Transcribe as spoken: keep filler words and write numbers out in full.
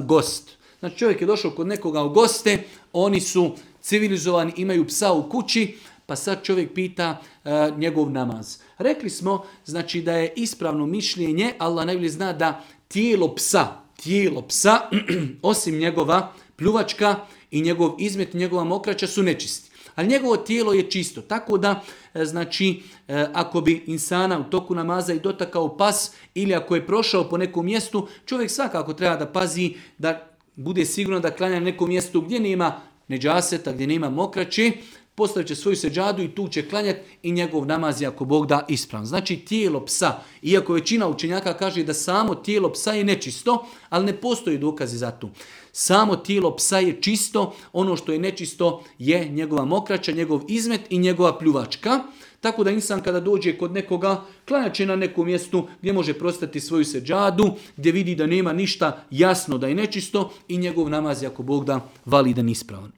gost. Znači čovjek je došao kod nekoga u goste, oni su civilizovani, imaju psa u kući, pa sad čovjek pita uh, njegov namaz. Rekli smo znači da je ispravno mišljenje, Allah najbolje zna da tijelo psa, tijelo psa, osim njegova pljuvačka i njegov izmet, njegova mokraća su nečisti. Ali njegovo tijelo je čisto. Tako da, znači, ako bi insana u toku namaza i dotakao pas ili ako je prošao po nekom mjestu, čovjek svakako treba da pazi da bude sigurno da klanja na nekom mjestu gdje nema neđaseta, gdje nema mokraće, postavit će svoju seđadu i tu će klanjati i njegov namaz je ako Bog da ispravan. Znači tijelo psa, iako većina učenjaka kaže da samo tijelo psa je nečisto, ali ne postoji dokazi za to. Samo tijelo psa je čisto, ono što je nečisto je njegova mokraća, njegov izmet i njegova pljuvačka. Tako da insan kada dođe kod nekoga, klanjat će na nekom mjestu gdje može prostati svoju seđadu, gdje vidi da nema ništa jasno da je nečisto i njegov namaz je ako Bog da validan ispravan.